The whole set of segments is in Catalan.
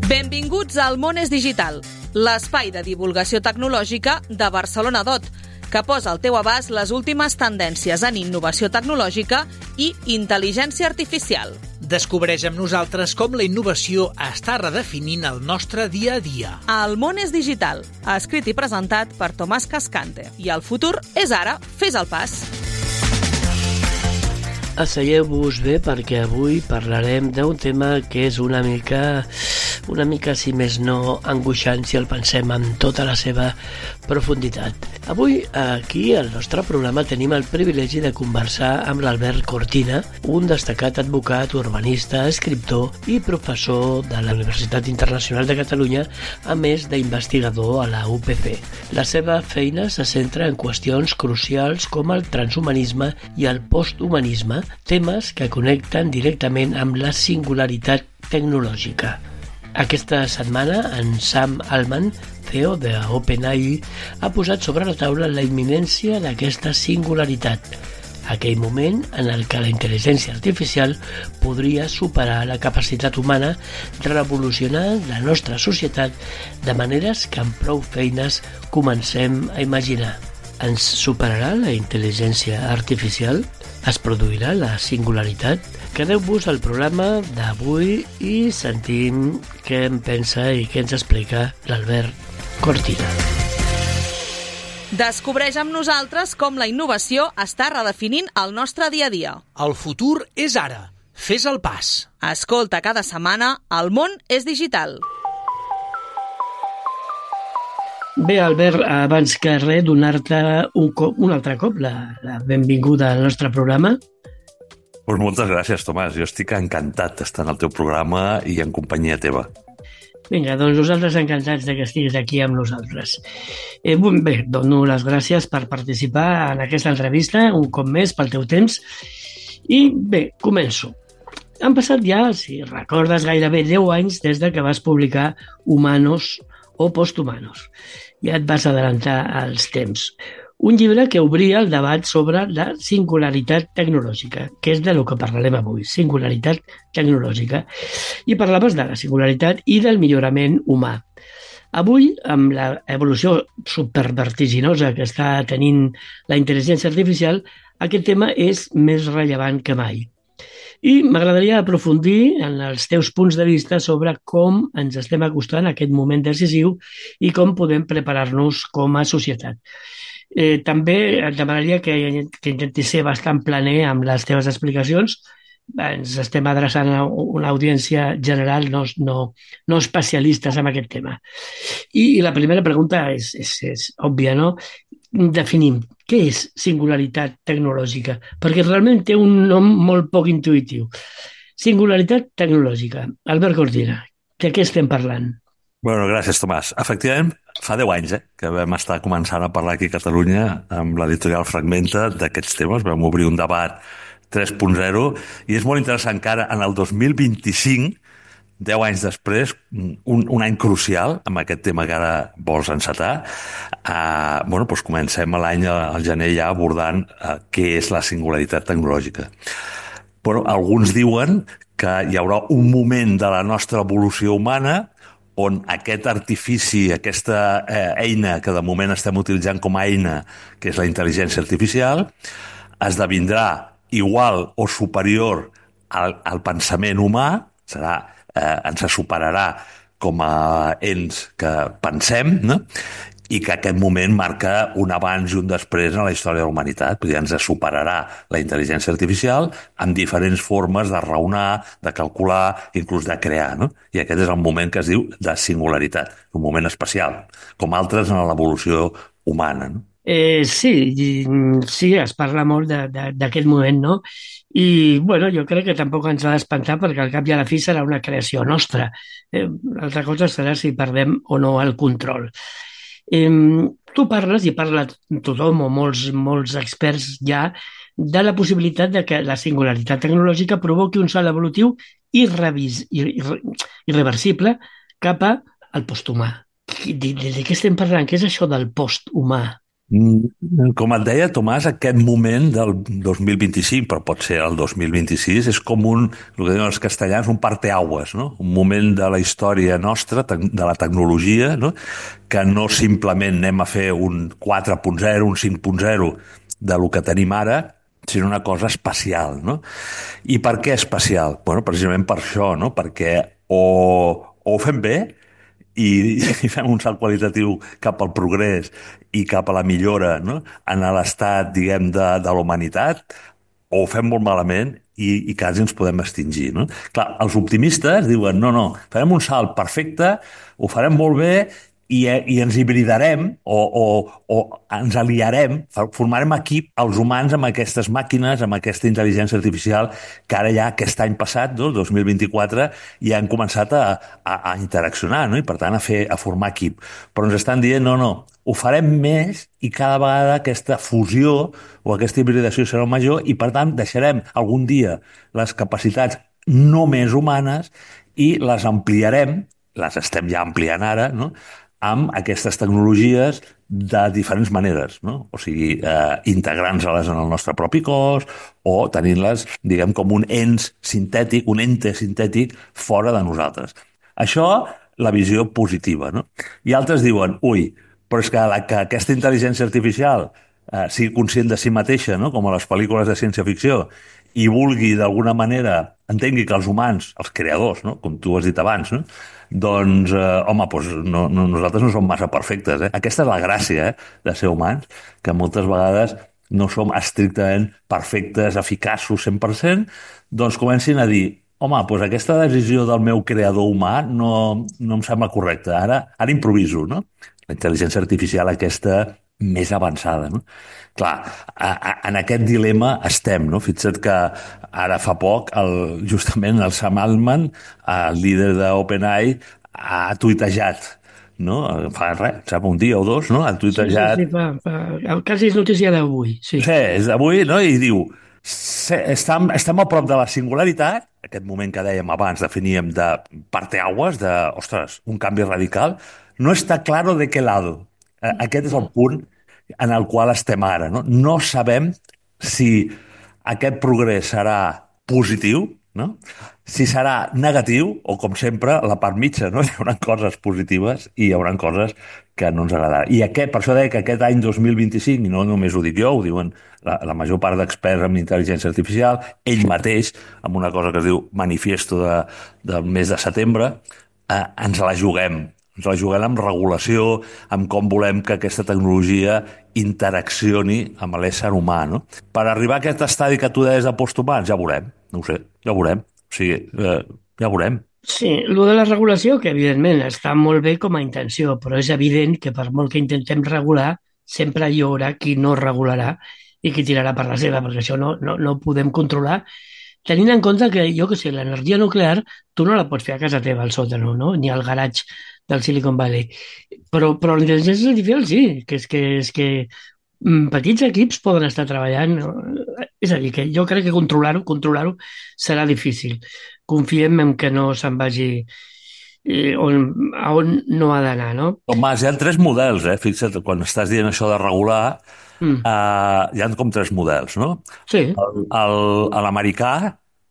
Benvinguts al Món és Digital, l'espai de divulgació tecnològica de Barcelona DOT, que posa al teu abast les últimes tendències en innovació tecnològica i intel·ligència artificial. Descobreix amb nosaltres com la innovació està redefinint el nostre dia a dia. El Món és Digital, escrit i presentat per Tomàs Cascante. I el futur és ara, fes el pas. Asseieu-vos bé perquè avui parlarem d'un tema que és una mica, si més no, angoixant si el pensem amb tota la seva profunditat. Avui, aquí, al nostre programa, tenim el privilegi de conversar amb l'Albert Cortina, un destacat advocat, urbanista, escriptor i professor de la Universitat Internacional de Catalunya, a més d'investigador a la UPC. La seva feina se centra en qüestions crucials com el transhumanisme i el posthumanisme, temes que connecten directament amb la singularitat tecnològica. Aquesta setmana, en Sam Altman, CEO de OpenAI, ha posat sobre la taula la imminència d'aquesta singularitat, aquell moment en el que la intel·ligència artificial podria superar la capacitat humana, revolucionant la nostra societat de maneres que amb prou feines comencem a imaginar. Ens superarà la intel·ligència artificial? Es produirà la singularitat? Quedeu-vos al programa d'avui i sentim què en pensa i què ens explica l'Albert Cortina. Descobreix amb nosaltres com la innovació està redefinint el nostre dia a dia. El futur és ara. Fes el pas. Escolta cada setmana El Món és Digital. Bé, Albert, abans que res, donar-te un altre cop la benvinguda al nostre programa. Pues moltes gràcies, Tomàs. Jo estic encantat d'estar en el teu programa i en companyia teva. Vinga, doncs nosaltres encantats que estiguis aquí amb nosaltres. Bé, dono les gràcies per participar en aquesta entrevista, un cop més, pel teu temps. I bé, començo. Han passat ja, si recordes, gairebé 10 anys des de que vas publicar Humanos o Posthumanos. Ja et vas adelantar als temps. Un llibre que obria el debat sobre la singularitat tecnològica, que és de lo que parlarem avui, singularitat tecnològica. I parlaves de la singularitat i del millorament humà. Avui, amb l'evolució supervertiginosa que està tenint la intel·ligència artificial, aquest tema és més rellevant que mai. I m'agradaria aprofundir en els teus punts de vista sobre com ens estem acostant a aquest moment decisiu i com podem preparar-nos com a societat. També et demanaria que intentis ser bastant planer amb les teves explicacions. Ens estem adreçant a una audiència general, no especialistes en aquest tema. I la primera pregunta és òbvia, no? Definim què és singularitat tecnològica, perquè realment té un nom molt poc intuïtiu. Singularitat tecnològica. Albert Cortina, de què estem parlant? Bueno, gràcies, Tomàs. Efectivament, fa 10 anys que vam estar començant a parlar aquí a Catalunya amb l'editorial Fragmenta d'aquests temes. Vam obrir un debat 3.0 i és molt interessant que ara, en el 2025, 10 anys després, un any crucial amb aquest tema que ara vols encetar, doncs comencem l'any al gener ja abordant què és la singularitat tecnològica. Alguns diuen que hi haurà un moment de la nostra evolució humana on aquest artifici, aquesta eina que de moment estem utilitzant com a eina, que és la intel·ligència artificial, esdevindrà igual o superior al pensament humà, ens superarà com a ens que pensem, no? I que aquest moment marca un abans i un després en la història de la humanitat. Vull dir, ens superarà la intel·ligència artificial amb diferents formes de raonar, de calcular, inclús de crear, no? I aquest és el moment que es diu de singularitat, un moment especial, com altres en l'evolució humana, no? Sí, es parla molt d'aquest moment, no? I, jo crec que tampoc ens ha d'espantar perquè al cap i a la fi serà una creació nostra. L'altra cosa serà si perdem o no el control. Tu parles, i parla tothom o molts experts ja, de la possibilitat de que la singularitat tecnològica provoqui un salt evolutiu irreversible cap al posthumà. De què estem parlant? Què és això del posthumà? Com et deia, Tomàs, aquest moment del 2025, però pot ser el 2026, és com el que diuen els castellans, un parteaguas, no? Un moment de la història nostra, de la tecnologia, no? Que no simplement anem a fer un 4.0, un 5.0 de lo que tenim ara, sinó una cosa especial, no? I per què especial? Bueno, precisament per això, no? Perquè o ho fem bé, i fem un salt qualitatiu cap al progrés i cap a la millora, no? En l'estat, diguem, de la humanitat, o ho fem molt malament i quasi ens podem extingir, no? Clar, els optimistes diuen, no, no, farem un salt perfecte, ho farem molt bé i ens hibridarem o ens aliarem, formarem equip els humans amb aquestes màquines, amb aquesta intel·ligència artificial que ara ja aquest any passat, no, 2024, ja han començat a interaccionar, no? I per tant a formar equip. Però ens estan dient, no, no, ho farem més i cada vegada aquesta fusió o aquesta hibridació serà major i per tant deixarem algun dia les capacitats només humanes i les ampliarem, les estem ja ampliant ara, no? Amb aquestes tecnologies de diferents maneres, no? O sigui, integrant-les en el nostre propi cos o tenint-les, diguem, com un ens sintètic, un ente sintètic fora de nosaltres. Això, la visió positiva, no? I altres diuen, ui, però és que aquesta intel·ligència artificial sigui conscient de si mateixa, no? Com a les pel·lícules de ciència-ficció, i vulgui d'alguna manera, entengui que els humans, els creadors, no? Com tu has dit abans, no? Doncs, home, doncs nosaltres no som massa perfectes. Aquesta és la gràcia de ser humans, que moltes vegades no som estrictament perfectes, eficaços 100%, doncs comencin a dir, home, doncs aquesta decisió del meu creador humà no em sembla correcta. Ara improviso, no? La intel·ligència artificial aquesta més avançada, no? Clar, en aquest dilema estem, no? Fixa't que ara fa poc, justament el Sam Altman, el líder d'OpenAI, ha tuitejat, no? Fa res, sap, un dia o dos, no? Ha tuitejat... Quasi és notícia d'avui, sí. Sí, és d'avui, no? I diu, estem a prop de la singularitat, aquest moment que dèiem abans, definíem de parteaguas, de, ostres, un canvi radical, no està claro de qué lado. Aquest és el punt en el qual estem ara. No sabem si aquest progrés serà positiu, no? Si serà negatiu o, com sempre, la part mitja, no? Hi haurà coses positives i hi haurà coses que no ens agradaran. I per això deia que aquest any 2025, i no només ho dic jo, ho diuen la major part d'experts en intel·ligència artificial, ell mateix, amb una cosa que es diu manifiesto del mes de setembre, ens la juguem. Ens la juguem amb regulació, amb com volem que aquesta tecnologia interaccioni amb l'ésser humà, no? Per arribar a aquest estadi que tu deies de posthumans, ja veurem, no ho sé, ja veurem. O sigui, ja veurem. Sí, el de la regulació, que evidentment està molt bé com a intenció, però és evident que per molt que intentem regular, sempre hi haurà qui no regularà i qui tirarà per la seva, perquè això no ho podem controlar, tenint en compte que, jo que sé, l'energia nuclear tu no la pots fer a casa teva al sòtano, no? Ni al garatge del Silicon Valley. Però la intel·ligència artificial sí, és que petits equips poden estar treballant. És a dir, que jo crec que controlar-ho serà difícil. Confiem en que no se'n vagi a on no ha d'anar, no? Tomàs, hi ha tres models, Fixa't, quan estàs dient això de regular, hi ha com tres models, no? Sí. L'americà,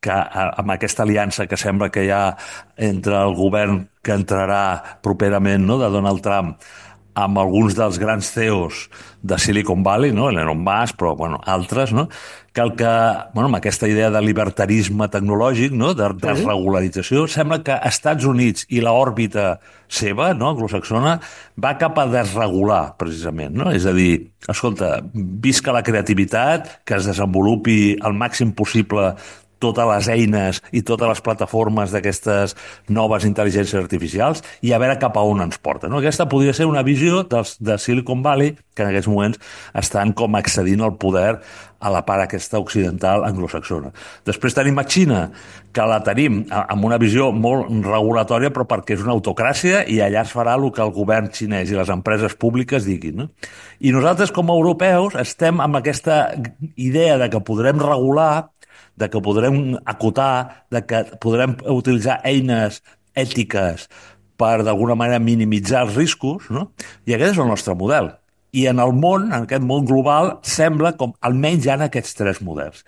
que amb aquesta aliança que sembla que hi ha entre el govern que entrarà properament, no?, de Donald Trump, amb alguns dels grans CEOs de Silicon Valley, no?, Elon Musk, però bueno, altres, no?, amb aquesta idea de libertarisme tecnològic, no?, de desregularització, sembla que Estats Units i l'òrbita seva, no?, anglosaxona, va cap a desregular, precisament, no? És a dir, escolta, visca la creativitat, que es desenvolupi al màxim possible totes les eines i totes les plataformes d'aquestes noves intel·ligències artificials i a veure cap a on ens porta, no? Aquesta podria ser una visió de Silicon Valley que en aquests moments estan com accedint al poder a la part aquesta occidental anglosaxona. Després tenim a Xina, que la tenim amb una visió molt regulatòria però perquè és una autocràcia i allà es farà el que el govern xinès i les empreses públiques diguin, no? I nosaltres com a europeus estem amb aquesta idea de que podrem regular, de que podrem acotar, de que podrem utilitzar eines ètiques per d'alguna manera minimitzar els riscos, no? I aquest és el nostre model. I en el món, en aquest món global, sembla com almenys hi ha aquests tres models.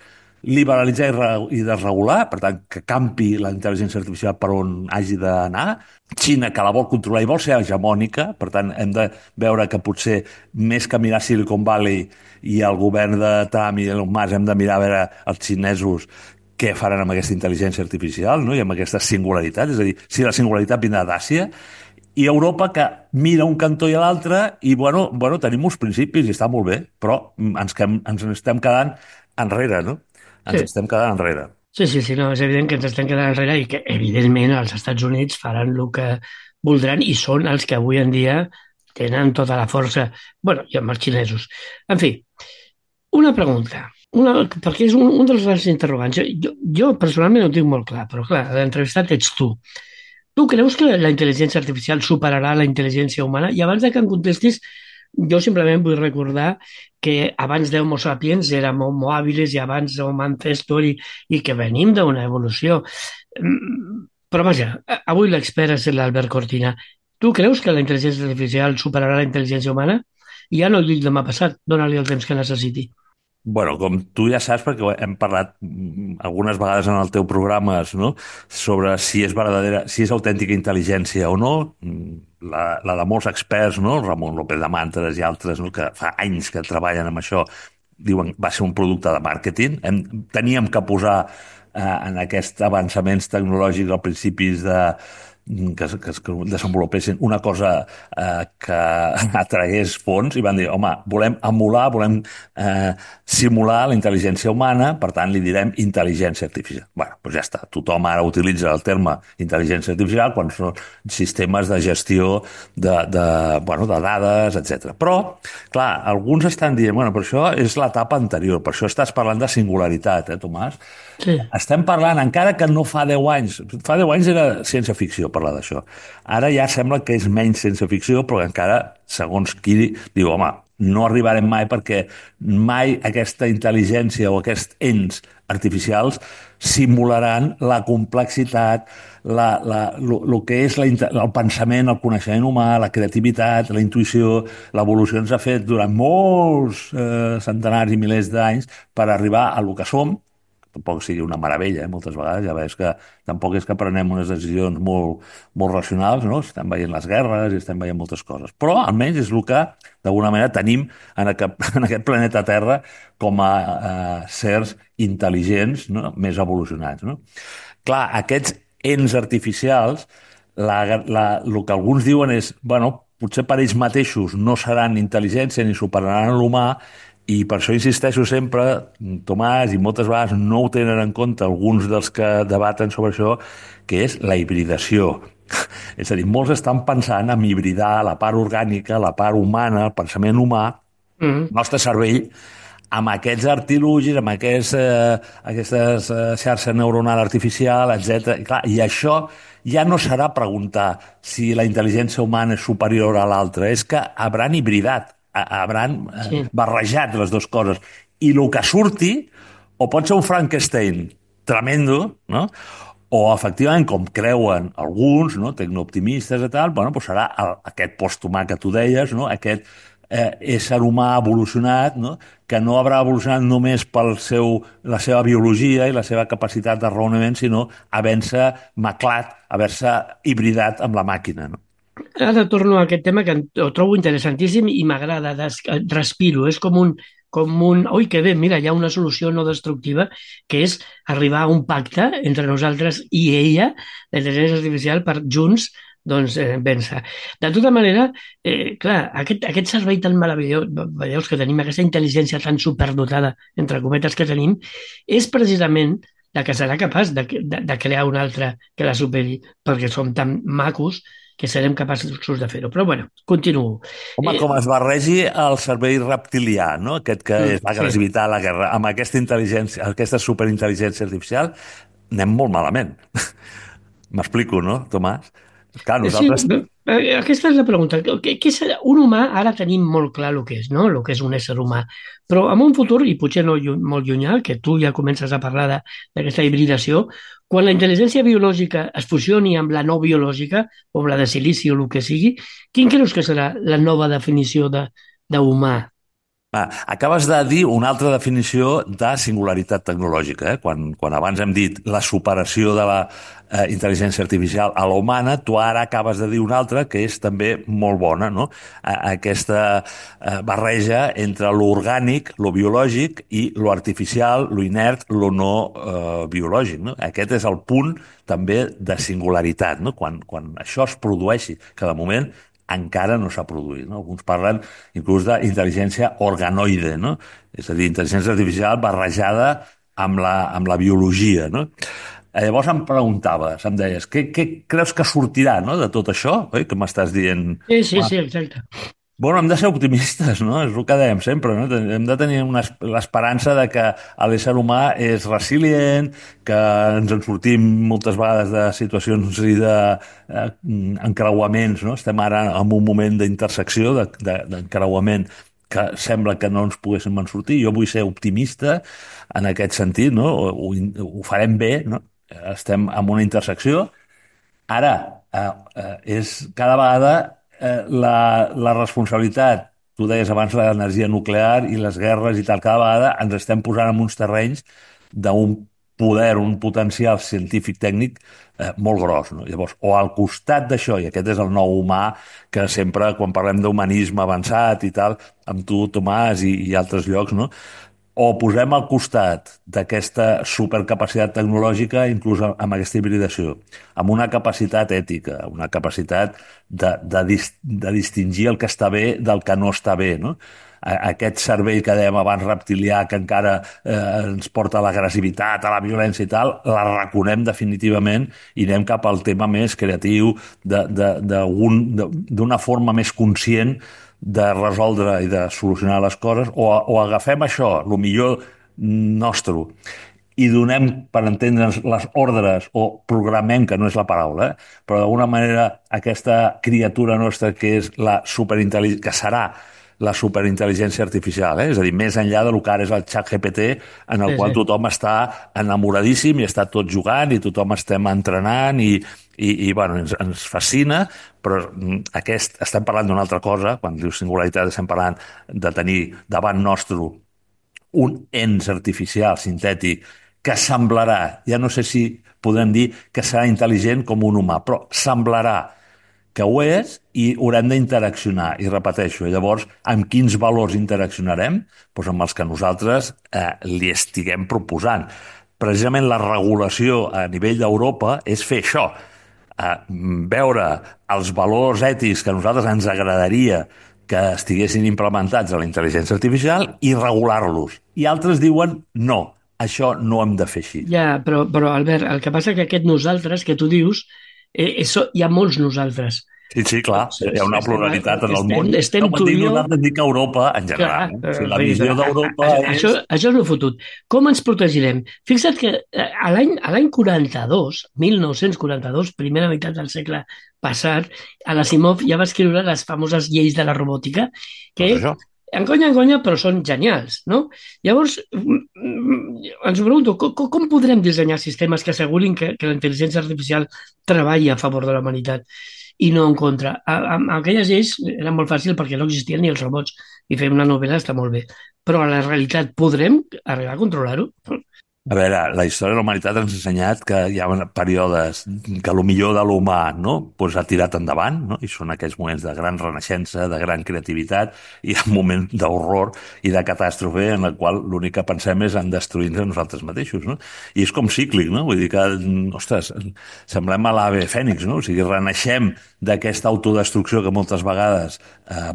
Liberalitzar i desregular, per tant, que campi la intel·ligència artificial per on hagi d'anar. Xina, que la vol controlar i vol ser hegemònica, per tant, hem de veure que potser més que mirar Silicon Valley i el govern de Trump i Elon Musk, hem de mirar a veure els xinesos què faran amb aquesta intel·ligència artificial, no? I amb aquesta singularitat, és a dir, si la singularitat vindrà d'Àsia, i Europa que mira un cantó i l'altre i, bueno, tenim uns principis i està molt bé, però ens estem quedant enrere, no? Ens estem quedant enrere. Sí, no, és evident que ens estem quedant enrere i que, evidentment, els Estats Units faran el que voldran i són els que avui en dia tenen tota la força. Bueno, i amb els xinesos. En fi, una pregunta, perquè és un dels grans interrogants. Jo personalment ho tinc molt clar, però clar, l'entrevistat ets tu. Tu creus que la intel·ligència artificial superarà la intel·ligència humana? I abans de que em contestis, jo simplement vull recordar que abans d'Homo sapiens érem Homo habilis i abans Homo ancestor i que venim d'una evolució. Però vaja, avui l'expert és l'Albert Cortina. Tu creus que la intel·ligència artificial superarà la intel·ligència humana? I ja no ho dic demà passat, dóna-li el temps que necessiti. Bueno, com tu ja saps, perquè hem parlat algunes vegades en el teu programa, no?, sobre si és verdadera, si és autèntica intel·ligència o no, la de molts experts, no?, Ramon López de Mantres i altres, no?, que fa anys que treballen amb això, diuen va ser un producte de màrqueting. Teníem que posar en aquests avançaments tecnològics als principis que es desenvolupessin una cosa que atragués fons i van dir, home, volem emular, volem simular la intel·ligència humana, per tant li direm intel·ligència artificial. Bueno, doncs ja està, tothom ara utilitza el terme intel·ligència artificial quan són sistemes de gestió de dades, etc. Però, clar, alguns estan dient, bueno, però això és l'etapa anterior, per això estàs parlant de singularitat, Tomàs? Sí. Estem parlant, encara que no fa 10 anys era ciència-ficció parlar d'això. Ara ja sembla que és menys ciència-ficció, però encara, segons qui diu, home, no arribarem mai perquè mai aquesta intel·ligència o aquests ens artificials simularan la complexitat, el que és el pensament, el coneixement humà, la creativitat, la intuïció, l'evolució ens ha fet durant molts centenars i milers d'anys per arribar a lo que som. Tampoc sigui una meravella, moltes vegades, ja veus que tampoc és que prenem unes decisions molt, molt racionals, no? Estem veient les guerres i estem veient moltes coses. Però almenys és el que, d'alguna manera, tenim en aquest planeta Terra com a sers intel·ligents, no?, més evolucionats, no? Clar, aquests ens artificials, el que alguns diuen és, bueno, potser per ells mateixos no seran intel·ligència ni superaran l'humà, i per això insisteixo sempre, Tomàs, i moltes vegades no ho tenen en compte alguns dels que debaten sobre això, que és la hibridació. És a dir, molts estan pensant en hibridar la part orgànica, la part humana, el pensament humà, el nostre cervell, amb aquests artilugis, amb aquestes xarxa neuronal artificial, etc. I això ja no serà preguntar si la intel·ligència humana és superior a l'altra, és que hauran hibridat, hauran barrejat les dues coses. I el que surti, o pot ser un Frankenstein tremendo, no?, o efectivament, com creuen alguns, no?, tecnooptimistes i tal, bueno, doncs serà aquest posthumà que tu deies, no?, aquest ésser humà evolucionat, no?, que no haurà evolucionat només per la seva biologia i la seva capacitat de raonament, sinó havent-se maclat, haver-se hibridat amb la màquina, no? Ara torno a aquest tema que ho trobo interessantíssim i m'agrada, respiro, és com un... Ui, que bé, mira, hi ha una solució no destructiva, que és arribar a un pacte entre nosaltres i ella, la intel·ligència artificial, per junts vèncer. De tota manera, clar, aquest servei tan meravellós, veieu que tenim aquesta intel·ligència tan superdotada, entre cometes, que tenim, és precisament la que serà capaç de crear una altra que la superi, perquè som tan macos que serem capaços de fer-ho. Però, bueno, continuo. Home, com es barregi el cervell reptilià, no?, aquest que es va gravitar a la guerra, amb aquesta intel·ligència, aquesta superintel·ligència artificial, anem molt malament. M'explico, no, Tomàs? Clar, nosaltres... Sí, aquesta és la pregunta. Què serà? Un humà, ara tenim molt clar el que és, no?, el que és un ésser humà. Però en un futur, i potser no molt llunyà, que tu ja comences a parlar d'aquesta hibridació, quan la intel·ligència biològica es fusioni amb la no biològica, o amb la de silici o el que sigui, quin creus que serà la nova definició d'humà. Acabes de dir una altra definició de singularitat tecnològica. Quan abans hem dit la superació de la intel·ligència artificial a la humana, tu ara acabes de dir una altra que és també molt bona, no? Aquesta barreja entre lo orgànic, lo biològic, i lo artificial, lo inert, lo no biològic. No? Aquest és el punt també de singularitat, no? Quan això es produeixi, que de moment encara no s'ha produït. No? Alguns parlen inclús d'intel·ligència organoide, no? És a dir, intel·ligència artificial barrejada amb la biologia. No? Llavors em preguntaves, em deies, què creus que sortirà, no, de tot això? Oi? Que m'estàs dient... Sí, exacte. Bueno, hem de ser optimistes, no? És el que dèiem sempre, no? Hem de tenir l'esperança de que l'ésser humà és resilient, que ens en sortim moltes vegades de situacions i d'encreuaments, no? Estem ara en un moment d'intersecció, d'encreuament, que sembla que no ens poguéssim en sortir. Jo vull ser optimista en aquest sentit, no? Ho farem bé, no? Estem en una intersecció. Ara, és cada vegada la responsabilitat, tu deies abans l'energia nuclear i les guerres i tal, cada vegada ens estem posant en uns terrenys d'un poder, un potencial científic tècnic molt gros. No? Llavors, o al costat d'això, i aquest és el nou humà que sempre, quan parlem d'humanisme avançat i tal, amb tu, Tomàs, i altres llocs, no? O posem al costat d'aquesta supercapacitat tecnològica, inclús amb aquesta hibridació, amb una capacitat ètica, una capacitat de distingir el que està bé del que no està bé, no? Aquest cervell que dèiem abans reptilià, que encara ens porta a l'agressivitat, a la violència i tal, l'arraconem definitivament i anem cap al tema més creatiu, d'una forma més conscient de resoldre i de solucionar les coses, o agafem això, el millor nostre, i donem, per entendre'ns, les ordres, o programem, que no és la paraula, però d'alguna manera aquesta criatura nostra que és la superintel·ligència, que serà la superintel·ligència artificial, és a dir, més enllà del que ara és el ChatGPT, en el qual tothom està enamoradíssim i està tot jugant i tothom estem entrenant i bueno, ens fascina, però estem parlant d'una altra cosa. Quan dius singularitat estem parlant de tenir davant nostre un ens artificial, sintètic, que semblarà, ja no sé si podem dir que serà intel·ligent com un humà, però semblarà que ho és i haurem d'interaccionar. I repeteixo, llavors, amb quins valors interaccionarem? Doncs amb els que nosaltres li estiguem proposant. Precisament la regulació a nivell d'Europa és fer això, veure els valors ètics que a nosaltres ens agradaria que estiguessin implementats a la intel·ligència artificial i regular-los. I altres diuen no, això no hem de fer així. Ja, però Albert, el que passa que aquest nosaltres que tu dius, hi ha molts nosaltres. Sí, clar, hi ha una pluralitat en el món. Estem tu i jo... Nosaltres dic Europa en general. Clar, la visió d'Europa és... Això és el fotut. Com ens protegirem? Fixa't que a l'any 42, 1942, primera meitat del segle passat, l'Asimov ja va escriure les famoses lleis de la robòtica, que enconya, però són genials, no? Llavors, ens pregunto, com podrem dissenyar sistemes que assegurin que la intel·ligència artificial treballi a favor de la humanitat i no en contra? Amb aquelles lleis era molt fàcil perquè no existien ni els robots, i fer una novel·la està molt bé, però a la realitat podrem arribar a controlar-ho? A veure, la història de la humanitat ens ha ensenyat que hi ha períodes que el millor de l'humà, no, doncs ha tirat endavant, no? I són aquells moments de gran renaixença, de gran creativitat, i un moment d'horror i de catàstrofe en el qual l'únic que pensem és en destruir-nos nosaltres mateixos, no? I és com cíclic, no? Vull dir que, ostres, semblem a l'ave fènix, no? O sigui, renaixem d'aquesta autodestrucció que moltes vegades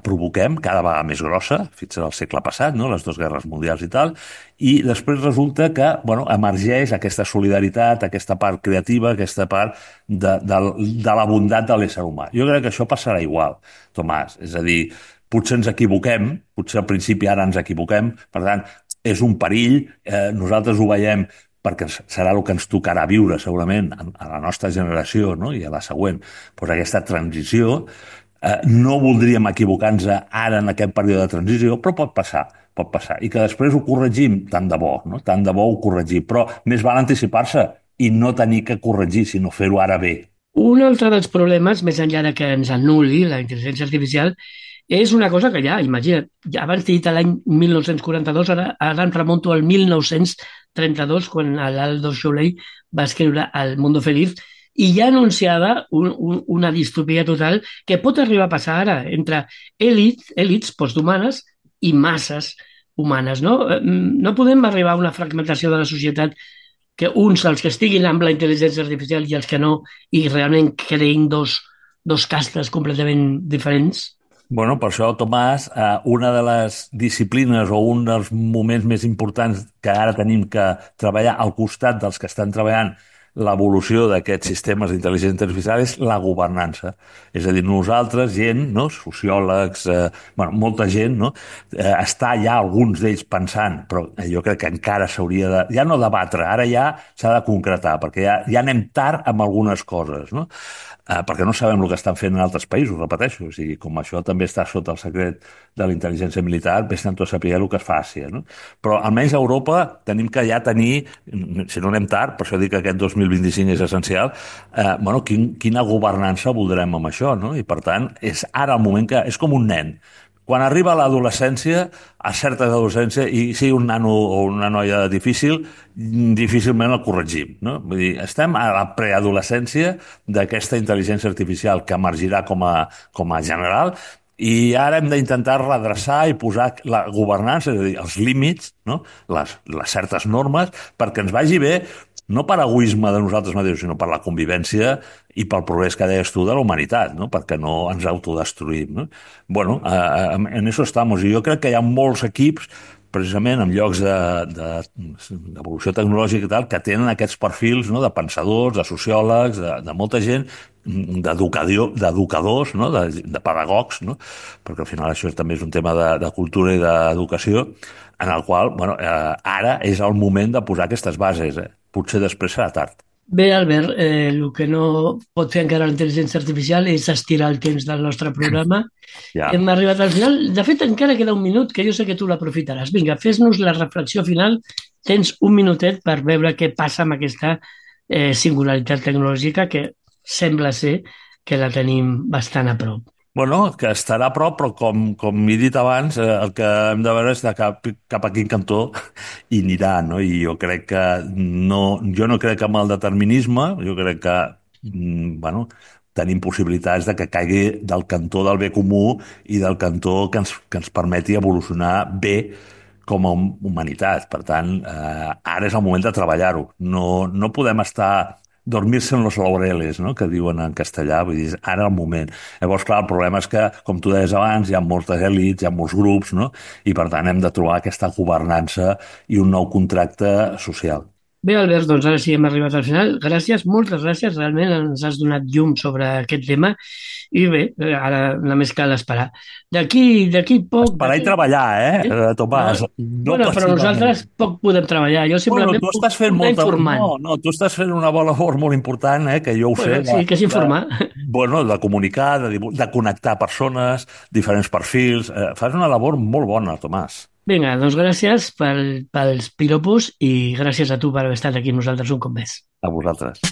provoquem, cada vegada més grossa, fins al segle passat, no? Les dues guerres mundials i tal, i després resulta que, bueno, emergeix aquesta solidaritat, aquesta part creativa, aquesta part de la bondat de l'ésser humà. Jo crec que això passarà igual, Tomàs. És a dir, potser ens equivoquem, potser al principi ara ens equivoquem, per tant, és un perill, nosaltres ho veiem perquè serà el que ens tocarà viure segurament a la nostra generació, no? I a la següent, doncs aquesta transició. No voldríem equivocar-nos ara en aquest període de transició, però pot passar, i que després ho corregim, tant de bo, no? Tant de bo ho corregim, però més val anticipar-se i no tenir que corregir, sinó fer-ho ara bé. Un altre dels problemes, més enllà de que ens anul·li la intel·ligència artificial, És una cosa que ja, imagina't, ja abans t'he dit l'any 1942, ara em remonto al 1932, quan l'Aldo Soleil va escriure El Mundo Feliz, i ja anunciava una distopia total que pot arribar a passar ara entre èlits posthumanes i masses humanes. No podem arribar a una fragmentació de la societat que uns, els que estiguin amb la intel·ligència artificial i els que no, i realment creïn dos castes completament diferents. Bueno, per això, Tomàs, una de les disciplines o un dels moments més importants que ara tenim que treballar al costat dels que estan treballant l'evolució d'aquests sistemes d'intel·ligència artificial és la governança. És a dir, nosaltres, gent, no? Sociòlegs, molta gent, no? Està ja alguns d'ells pensant, però jo crec que encara s'hauria de... Ja no debatre, ara ja s'ha de concretar, perquè ja anem tard amb algunes coses, no? Perquè no sabem el que estan fent en altres països, repeteixo. O sigui, com això també està sota el secret de la intel·ligència militar, vés tanto a saber el que es fa a Àsia, no? Però almenys a Europa tenim que ja tenir, si no anem tard, per això dic que aquest 2025 és essencial, quina governança voldrem amb això, no? I per tant, és ara el moment que... És com un nen. Quan arriba a l'adolescència, a certa adolescència, i sigui un nano o una noia difícilment el corregim, no? Vull dir, estem a la preadolescència d'aquesta intel·ligència artificial que emergirà com a general, i ara hem d'intentar redreçar i posar la governança, és a dir, els límits, no? Les certes normes, perquè ens vagi bé, no per egoisme de nosaltres mateixos, sinó per la convivència i pel progrés que deies tu de la humanitat, no? Perquè no ens autodestruïm, no? Bueno, en eso estamos. I jo crec que hi ha molts equips, precisament en llocs d'evolució tecnològica i tal, que tenen aquests perfils, no? De pensadors, de sociòlegs, de molta gent, d'educadors, no? De pedagogs, no? Perquè al final això també és un tema de cultura i d'educació, en el qual, ara és el moment de posar aquestes bases. Potser després serà tard. Bé, Albert, el que no pot fer encara la intel·ligència artificial és estirar el temps del nostre programa. Ja. Hem arribat al final. De fet, encara queda un minut, que jo sé que tu l'aprofitaràs. Vinga, fes-nos la reflexió final. Tens un minutet per veure què passa amb aquesta singularitat tecnològica que sembla ser que la tenim bastant a prop. Bueno, que estarà a prop, però com he dit abans, el que hem de veure és de cap a quin cantó hi anirà, no? I jo crec que jo no crec en el determinisme, jo crec que, tenim possibilitats de que caigui del cantó del bé comú i del cantó que ens permeti evolucionar bé com a humanitat. Per tant, ara és el moment de treballar-ho. No podem estar... dormir-se en los laureles, no? Que diuen en castellà, vull dir, ara el moment. Llavors, clar, el problema és que, com tu deies abans, hi ha moltes èlits, hi ha molts grups, no? I per tant hem de trobar aquesta governança i un nou contracte social. Bé, Albert, doncs ara sí hem arribat al final. Gràcies, moltes gràcies, realment ens has donat llum sobre aquest tema i bé, ara només cal esperar. D'aquí poc... Esperar i treballar, Tomàs? Però nosaltres poc podem treballar. Jo simplement tu estàs fent tu estàs fent una bona labor molt important, que jo ho sé. Sí, que és informar. De comunicar, de connectar persones, diferents perfils. Fas una labor molt bona, Tomàs. Vinga, doncs gràcies pels piropos i gràcies a tu per haver estat aquí amb nosaltres un cop més. A vosaltres.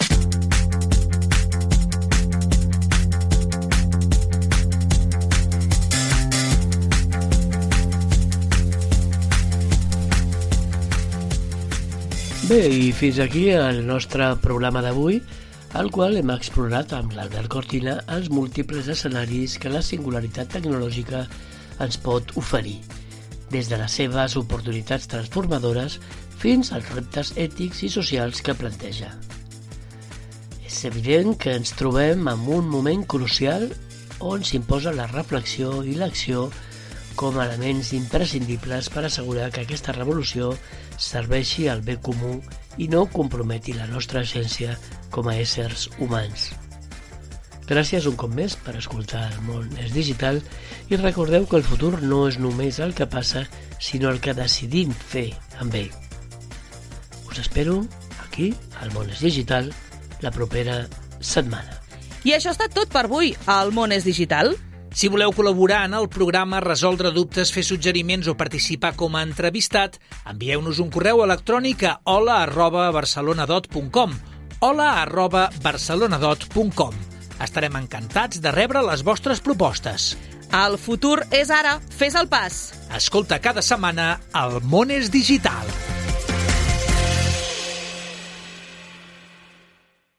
Bé, i fins aquí el nostre programa d'avui, al qual hem explorat amb l'Albert Cortina els múltiples escenaris que la singularitat tecnològica ens pot oferir, des de les seves oportunitats transformadores fins als reptes ètics i socials que planteja. És evident que ens trobem en un moment crucial on s'imposa la reflexió i l'acció com a elements imprescindibles per assegurar que aquesta revolució serveixi al bé comú i no comprometi la nostra essència com a éssers humans. Gràcies un cop més per escoltar El món és digital i recordeu que el futur no és només el que passa, sinó el que decidim fer amb ell. Us espero aquí, al Món és Digital, la propera setmana. I això ha estat tot per avui, al Món és Digital. Si voleu col·laborar en el programa, resoldre dubtes, fer suggeriments o participar com a entrevistat, envieu-nos un correu electrònic a hola@barcelonadot.com hola@barcelonadot.com. Estarem encantats de rebre les vostres propostes. El futur és ara. Fes el pas. Escolta cada setmana El món és digital.